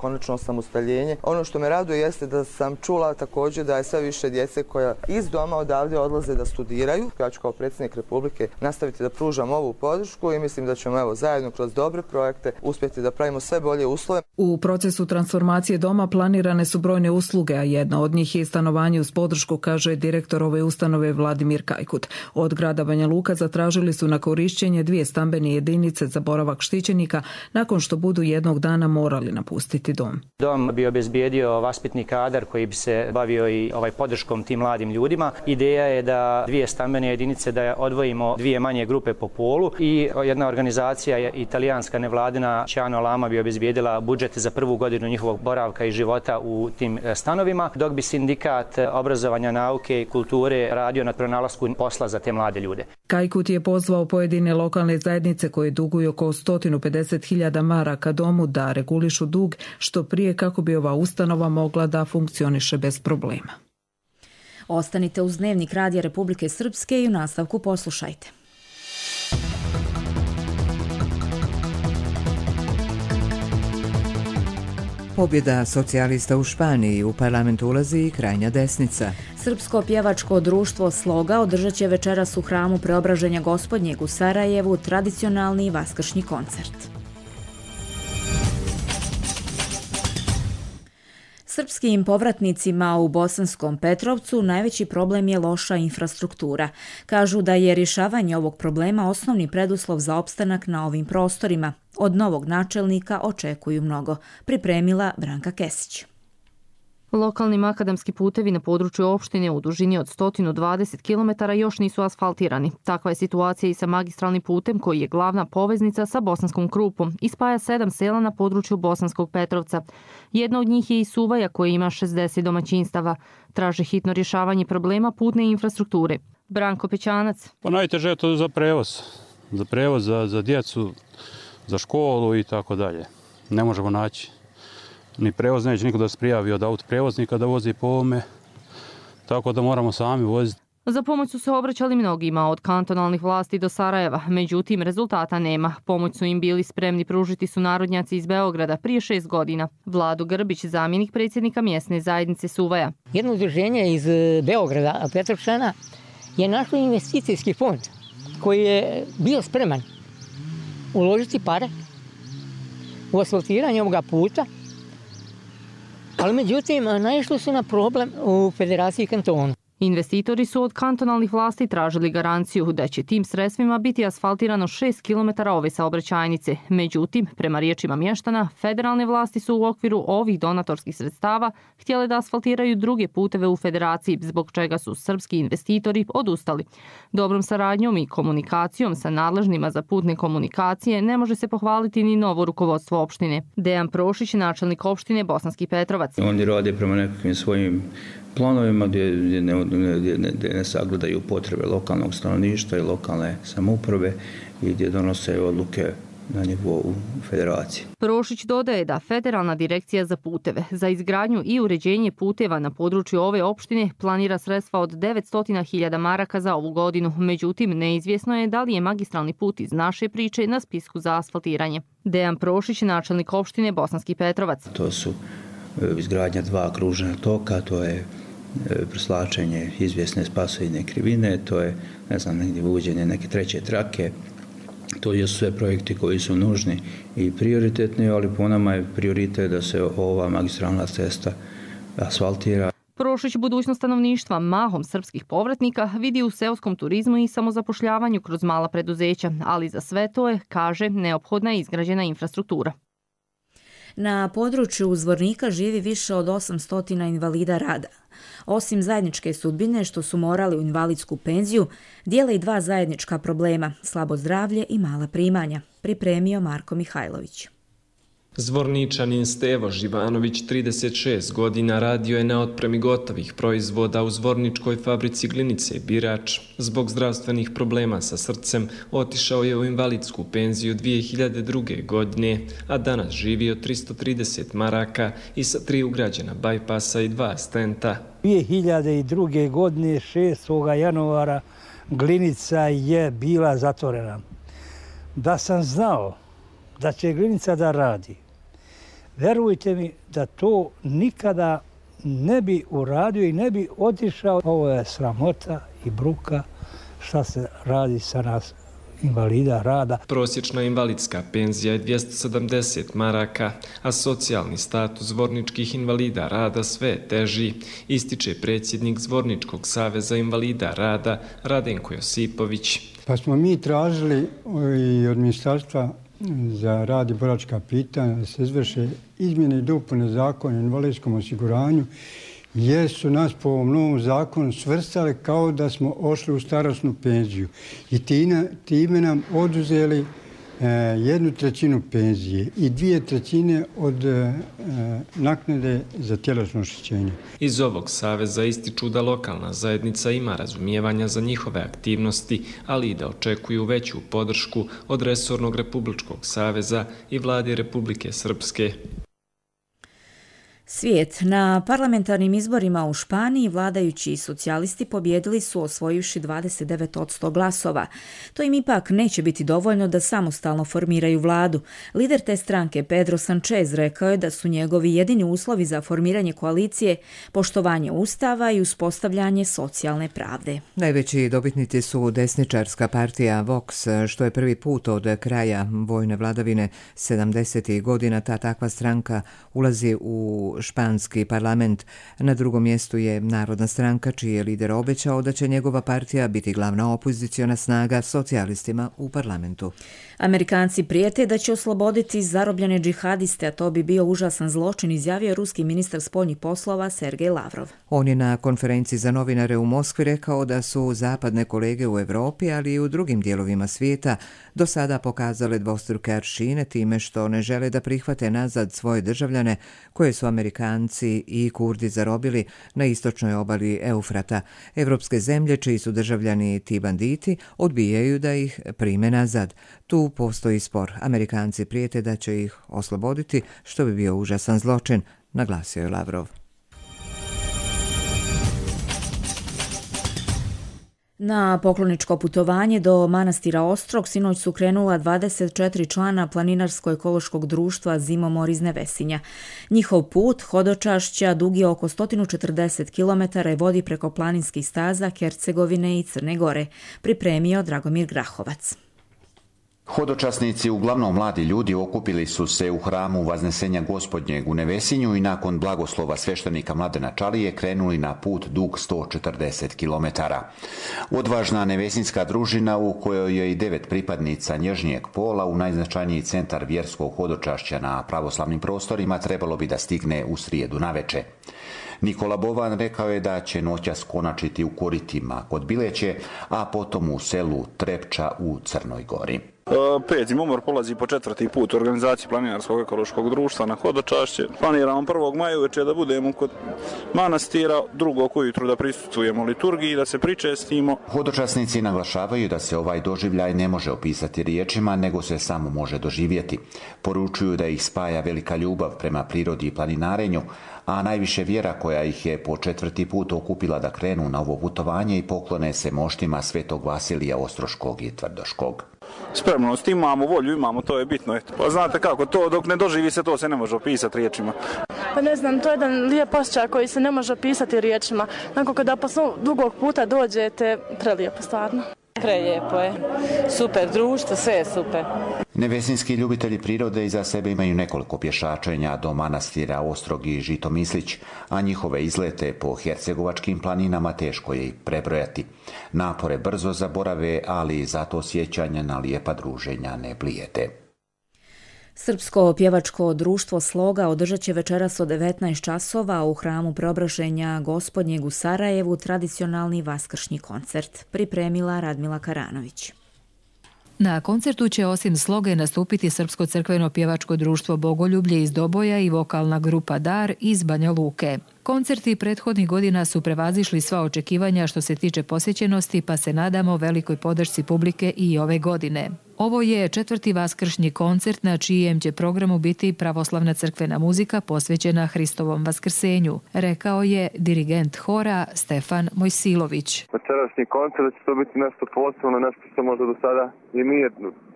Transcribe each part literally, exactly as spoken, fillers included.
Konačno osamostaljenje. Ono što me raduje jeste da sam čula također da je sve više djece koja iz doma odavde odlaze da studiraju. Ja ću kao predsjednik Republike nastaviti da pružam ovu podršku i mislim da ćemo evo zajedno kroz dobre projekte uspjeti da pravimo sve bolje uslove. U procesu transformacije doma planirane su brojne usluge, a jedna od njih je stanovanje uz podršku, kaže direktor ove ustanove Vladimir Kajkut. Od grada Banja Luka zatražili su na korišćenje dvije stambene jedinice za boravak štićenika nakon što budu jednog dana morali napustiti dom. Dom bi obezbijedio vaspitni kadar koji bi se bavio i ovaj podrškom tim mladim ljudima. Ideja je da dvije stambene jedinice da odvojimo dvije manje grupe po polu i jedna organizacija italijanska nevladina Ciano Lama bi obezbijedila budžet za prvu godinu njihovog boravka i života u tim stanovima, dok bi sindikat obrazovanja, nauke i kulture radio na pronalasku posla za te mlade ljude. Kajkut je pozvao pojedine lokalne zajednice koje duguju oko sto pedeset hiljada maraka domu da regulišu dug što prije kako bi ova ustanova mogla da funkcioniše bez problema. Ostanite uz Dnevnik Radija Republike Srpske i u nastavku poslušajte. Pobjeda socijalista u Španiji, u parlament ulazi i krajnja desnica. Srpsko pjevačko društvo Sloga održat će večeras u hramu Preobraženja Gospodnjeg u Sarajevu tradicionalni vaskršnji koncert. Srpskim povratnicima u Bosanskom Petrovcu najveći problem je loša infrastruktura. Kažu da je rješavanje ovog problema osnovni preduslov za opstanak na ovim prostorima. Od novog načelnika očekuju mnogo, pripremila Branka Kesić. Lokalni makadamski putevi na području opštine u dužini od sto dvadeset kilometara još nisu asfaltirani. Takva je situacija i sa magistralnim putem koji je glavna poveznica sa Bosanskom Krupom i spaja sedam sela na području Bosanskog Petrovca. Jedna od njih je i Suvaja koja ima šezdeset domaćinstava. Traže hitno rješavanje problema putne infrastrukture. Branko Pećanac. Pa najteže je to za prevoz. Za prevoz, za, za djecu, za školu i tako dalje. Ne možemo naći ni prevoz, neće niko da se prijavi od autoprevoznika da vozi po ovome, tako da moramo sami voziti. Za pomoć su se obraćali mnogima od kantonalnih vlasti do Sarajeva, međutim rezultata nema. Pomoć su im bili spremni pružiti su narodnjaci iz Beograda prije šest godina. Vlado Grbić, zamjenik predsjednika mjesne zajednice Suvaja. Jedno udruženje iz Beograda, Petrovčana, je našlo investicijski fond koji je bio spreman uložiti pare u asfaltiranje ovoga puta, ali međutim naišli su na problem u Federaciji kantona. Investitori su od kantonalnih vlasti tražili garanciju da će tim sredstvima biti asfaltirano šest kilometara ove saobraćajnice. Međutim, prema riječima mještana, federalne vlasti su u okviru ovih donatorskih sredstava htjele da asfaltiraju druge puteve u federaciji, zbog čega su srpski investitori odustali. Dobrom saradnjom i komunikacijom sa nadležnima za putne komunikacije ne može se pohvaliti ni novo rukovodstvo opštine. Dejan Prošić, načelnik opštine Bosanski Petrovac. Oni rade prema nekakvim svojim planovima gdje, gdje, ne, gdje, ne, gdje ne sagledaju potrebe lokalnog stanovništva i lokalne samouprave i gdje donose odluke na nivou federacije. Prošić dodaje da Federalna direkcija za puteve za izgradnju i uređenje puteva na području ove opštine planira sredstva od devetsto hiljada maraka za ovu godinu. Međutim, neizvjesno je da li je magistralni put iz naše priče na spisku za asfaltiranje. Dejan Prošić, načelnik opštine Bosanski Petrovac. To su izgradnja dva kružna toka, to je preslačenje izvjesne spasovine krivine, to je, ne znam, negdje uvođenje neke treće trake. To jesu sve projekti koji su nužni i prioritetni, ali po nama je prioritet da se ova magistralna cesta asfaltira. Prošić budućnost stanovništva, mahom srpskih povratnika, vidi u seoskom turizmu i samozapošljavanju kroz mala preduzeća, ali za sve to je, kaže, neophodna izgrađena infrastruktura. Na području Zvornika živi više od osamsto invalida rada. Osim zajedničke sudbine što su morali u invalidsku penziju, dijele i dva zajednička problema, slabo zdravlje i mala primanja, pripremio Marko Mihajlović. Zvorničanin Stevo Živanović, trideset šest godina, radio je na otpremi gotovih proizvoda u Zvorničkoj fabrici glinice Birač. Zbog zdravstvenih problema sa srcem otišao je u invalidsku penziju dvije hiljade druge. godine, a danas živi od tristo trideset maraka i sa tri ugrađena bajpasa i dva stenta. dvije hiljade druge. godine, šestog januara, glinica je bila zatvorena. Da sam znao da će glinica da radi, Verujte mi da to nikada ne bi uradio i ne bi otišao. Ovo je sramota i bruka šta se radi sa nas invalida rada. Prosječna invalidska penzija je dvjesto sedamdeset maraka, a socijalni status zvorničkih invalida rada sve teži, ističe predsjednik Zvorničkog saveza invalida rada Radenko Josipović. Pa smo mi tražili i od Ministarstva za rad i boračka pitanja da se izvrše izmjene i dopune zakona o invalidskom osiguranju, jer su nas po ovom novom zakonu svrstali kao da smo ošli u starosnu penziju i time nam oduzeli jednu trećinu penzije i dvije trećine od naknade za tjelesno oštećenje. Iz ovog saveza ističu da lokalna zajednica ima razumijevanja za njihove aktivnosti, ali i da očekuju veću podršku od resornog Republičkog saveza i vlade Republike Srpske. Svijet. Na parlamentarnim izborima u Španiji vladajući socijalisti pobjedili su osvojivši dvadeset devet posto glasova. To im ipak neće biti dovoljno da samostalno formiraju vladu. Lider te stranke Pedro Sanchez rekao je da su njegovi jedini uslovi za formiranje koalicije poštovanje ustava i uspostavljanje socijalne pravde. Najveći dobitnici su desničarska partija Vox, što je prvi put od kraja vojne vladavine sedamdesetih godina ta takva stranka ulazi u španski parlament. Na drugom mjestu je Narodna stranka, čiji je lider obećao da će njegova partija biti glavna opoziciona snaga socijalistima u parlamentu. Amerikanci prijete da će osloboditi zarobljene džihadiste, a to bi bio užasan zločin, izjavio ruski ministar spoljnih poslova Sergej Lavrov. On je na konferenciji za novinare u Moskvi rekao da su zapadne kolege u Europi, ali i u drugim dijelovima svijeta do sada pokazale dvostruke aršine time što ne žele da prihvate nazad svoje državljane koje su Amerikanci i Kurdi zarobili na istočnoj obali Eufrata. Evropske zemlje, čiji su državljani ti banditi, odbijaju da ih prime nazad. Tu postoji spor. Amerikanci prijete da će ih osloboditi, što bi bio užasan zločin, naglasio je Lavrov. Na pokloničko putovanje do manastira Ostrog sinoć su krenula dvadeset četiri člana planinarsko-ekološkog društva Zimomor iz Nevesinja. Njihov put hodočašća dug je oko sto četrdeset kilometara i vodi preko planinskih staza Hercegovine i Crne Gore, pripremio Dragomir Grahovac. Hodočasnici, uglavnom mladi ljudi, okupili su se u hramu Vaznesenja Gospodnjeg u Nevesinju i nakon blagoslova sveštenika Mladena Čalije krenuli na put dug sto četrdeset kilometara. Odvažna nevesinjska družina, u kojoj je i devet pripadnica nježnijeg pola, u najznačajniji centar vjerskog hodočašća na pravoslavnim prostorima trebalo bi da stigne u srijedu naveče. Nikola Bovan rekao je da će noćas konačiti u Koritima kod Bileće, a potom u selu Trepča u Crnoj Gori. Pet Zimomor polazi po četvrti put u organizaciji Planinarskog ekološkog društva na hodočašće. Planiramo prvog maja uveče da budemo kod manastira, drugog ujutru da prisustvujemo liturgiji, da se pričestimo. Hodočasnici naglašavaju da se ovaj doživljaj ne može opisati riječima, nego se samo može doživjeti. Poručuju da ih spaja velika ljubav prema prirodi i planinarenju, a najviše vjera koja ih je po četvrti put okupila da krenu na ovo putovanje i poklone se moštima Svetog Vasilija Ostroškog i Tvrdoškog. Spremnost imamo, volju imamo, to je bitno. Eto. Pa znate kako, to dok ne doživi se, to se ne može opisati riječima. Pa ne znam, to je jedan lijep osjećaj koji se ne može opisati riječima. Nakon kada posle dugog puta dođete, prelijepo stvarno. Prelijepo je, super društvo, sve je super. Nevesinski ljubitelji prirode iza sebe imaju nekoliko pješačenja do manastira Ostrog i Žitomislić, a njihove izlete po hercegovačkim planinama teško je i prebrojati. Napore brzo zaborave, ali zato sjećanja na lijepa druženja ne blijede. Srpsko pjevačko društvo Sloga održat će večeras od devetnaest časova u hramu Preobraženja Gospodnjeg u Sarajevu tradicionalni vaskršnji koncert, pripremila Radmila Karanović. Na koncertu će osim Sloge nastupiti Srpsko crkveno pjevačko društvo Bogoljublje iz Doboja i vokalna grupa Dar iz Banja Luke. Koncerti prethodnih godina su prevazišli sva očekivanja što se tiče posjećenosti, pa se nadamo velikoj podršci publike i ove godine. Ovo je četvrti vaskršnji koncert na čijem će programu biti pravoslavna crkvena muzika posvećena Hristovom vaskrsenju, rekao je dirigent hora Stefan Mojsilović. Večerašnji koncert će to biti nešto posebno, nešto što možda do sada i nije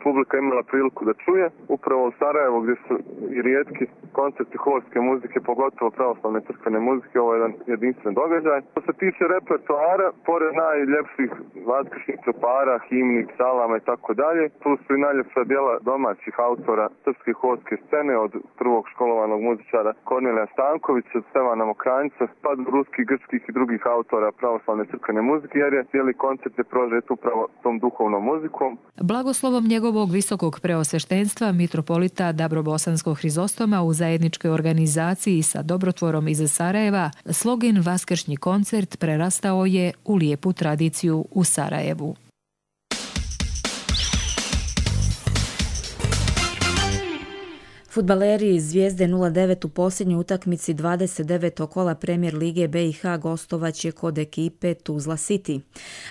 publika imala priliku da čuje. Upravo u Sarajevu gdje su i rijetki koncerti horske muzike, pogotovo pravoslavne crkvene muzike, ovo je jedan jedinstven događaj. Što se tiče repertoara, pored najljepših vaskršnjih tropara, himni, psalama i tako dalje, tu su i najljepša djela domaćih autora srpske horske scene, od prvog školovanog muzičara Kornelija Stankovića, Stevana Mokranjca, pa do ruskih, grčkih i drugih autora pravoslavne crkvene muzike, jer je cijeli koncert je prožet upravo tom duhovnom muzikom. Blagoslovom njegovog visokog preosveštenstva mitropolita Dabrobosanskog Hrizostoma u zajedničkoj organizaciji sa dobrotvorom iz Sarajeva, slogan Vaskršnji koncert prerastao je u lijepu tradiciju u Sarajevu. Fudbaleri iz Zvijezde nula devet u posljednjoj utakmici dvadeset devetog kola Premier lige B i H gostovaće kod ekipe Tuzla City.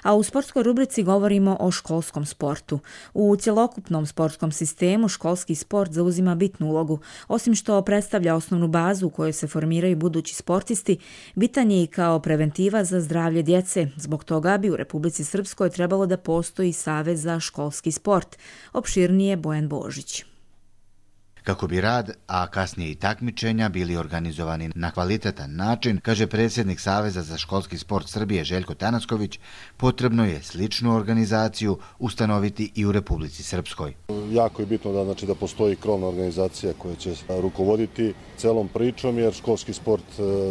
A u sportskoj rubrici govorimo o školskom sportu. U cjelokupnom sportskom sistemu školski sport zauzima bitnu ulogu. Osim što predstavlja osnovnu bazu u kojoj se formiraju budući sportisti, bitan je i kao preventiva za zdravlje djece. Zbog toga bi u Republici Srpskoj trebalo da postoji Savez za školski sport. Opširnije Bojan Božić. Kako bi rad, a kasnije i takmičenja bili organizovani na kvalitetan način, kaže predsjednik Saveza za školski sport Srbije Željko Tanasković, potrebno je sličnu organizaciju ustanoviti i u Republici Srpskoj. Jako je bitno da, znači, da postoji krovna organizacija koja će rukovoditi celom pričom, jer školski sport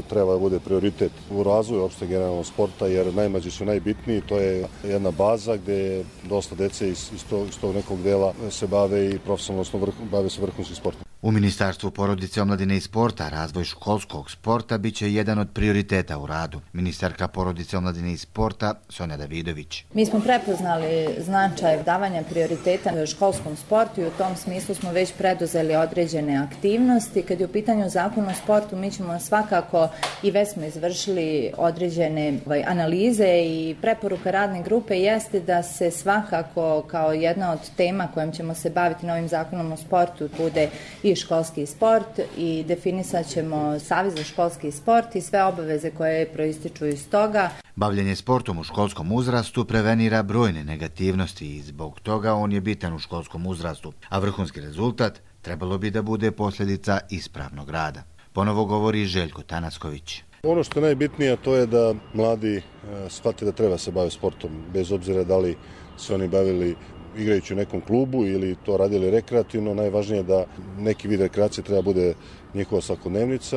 treba da bude prioritet u razvoju opšte generalnog sporta, jer najmlađi su najbitniji, to je jedna baza gdje dosta dece iz, iz, tog, iz tog nekog dela se bave i profesionalno vrh, bave se vrhunskim sportom. U Ministarstvu porodice, omladine i sporta razvoj školskog sporta biće jedan od prioriteta u radu. Ministarka porodice, omladine i sporta Sonja Davidović. Mi smo prepoznali značaj davanja prioriteta školskom sportu i u tom smislu smo već preduzeli određene aktivnosti. Kad je u pitanju zakon o sportu, mi ćemo svakako i već smo izvršili određene analize i preporuka radne grupe jeste da se svakako kao jedna od tema kojom ćemo se baviti novim zakonom o sportu bude i školski sport i definisat ćemo Savez za školski sport i sve obaveze koje proističu iz toga. Bavljenje sportom u školskom uzrastu prevenira brojne negativnosti i zbog toga on je bitan u školskom uzrastu, a vrhunski rezultat trebalo bi da bude posljedica ispravnog rada. Ponovo govori Željko Tanasković. Ono što je najbitnije to je da mladi shvate da treba se baviti sportom, bez obzira da li se oni bavili igrajući u nekom klubu ili to radili rekreativno. Najvažnije je da neki vid rekreacije treba bude njihova svakodnevnica.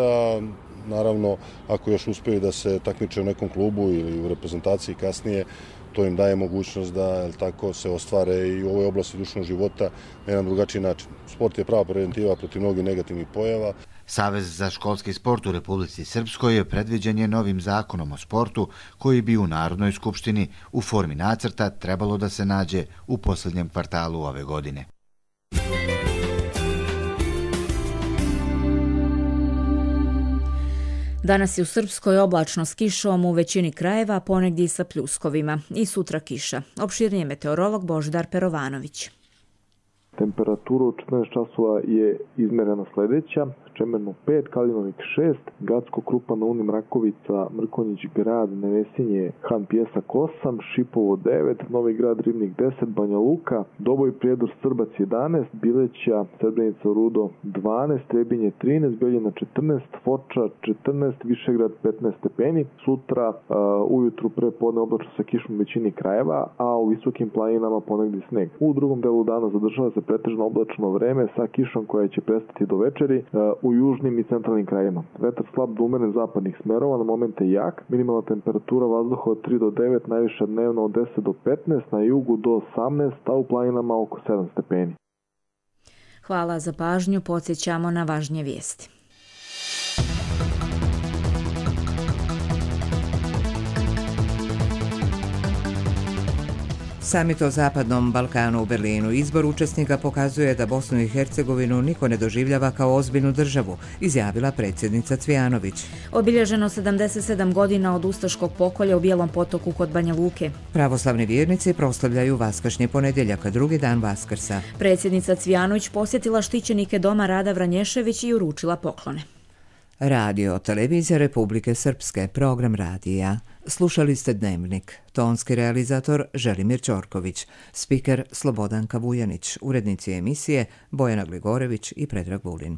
Naravno, ako još uspiju da se takmiče u nekom klubu ili u reprezentaciji kasnije, to im daje mogućnost da tako se ostvare i u ovoj oblasti društvenog života na jedan drugačiji način. Sport je prava preventiva protiv mnogih negativnih pojava. Savez za školski sport u Republici Srpskoj je predviđen je novim zakonom o sportu koji bi u Narodnoj skupštini u formi nacrta trebalo da se nađe u posljednjem kvartalu ove godine. Danas je u Srpskoj oblačno s kišom u većini krajeva, ponegdje sa pljuskovima. I sutra kiša. Opširnije meteorolog Božidar Perovanović. Temperatura u četrnaest časova je izmerena sljedeća: Čemerno pet, Kalinovik šest, Gacko, Krupa, na Uni, Mrakovica, Mrkonjić, Grad, Nevesinje, Han Pjesak osam, Šipovo devet, Novi Grad, Ribnik deset, Banja Luka, Doboj, Prijedor, Srbac jedanaest, Bileća, Srebrenica, Rudo dvanaest, Trebinje trinaest, Beljina četrnaest, Foča četrnaest, Višegrad petnaest stepeni. Sutra uh, ujutru pre podne oblačno sa kišom u većini krajeva, a u visokim planinama ponegdje sneg. U drugom delu dana zadržava se pretežno oblačno vreme sa kišom koja će prestati do večeri uh, u južnim i centralnim krajevima. Vetar slab do umeren zapadnih smerova, na momente jak. Minimalna temperatura vazduha od tri do devet, najviša dnevno od deset do petnaest, na jugu do osamnaest, a u planinama oko sedam stepeni. Hvala za pažnju, podsjećamo na važnije vijesti. Samit o Zapadnom Balkanu u Berlinu. Izbor učesnika pokazuje da Bosnu i Hercegovinu niko ne doživljava kao ozbiljnu državu, izjavila predsjednica Cvijanović. Obilježeno sedamdeset sedam godina od ustaškog pokolja u Bijelom Potoku kod Banja Luke. Pravoslavni vjernici proslavljaju Vaskršnji ponedjeljak, drugi dan Vaskrsa. Predsjednica Cvijanović posjetila štićenike Doma Rada Vranješević i uručila poklone. Radio Televizija Republike Srpske, program radija. Slušali ste Dnevnik. Tonski realizator Želimir Ćorković, spiker Slobodanka Vujanić, urednici emisije Bojana Gligorević i Predrag Vulin.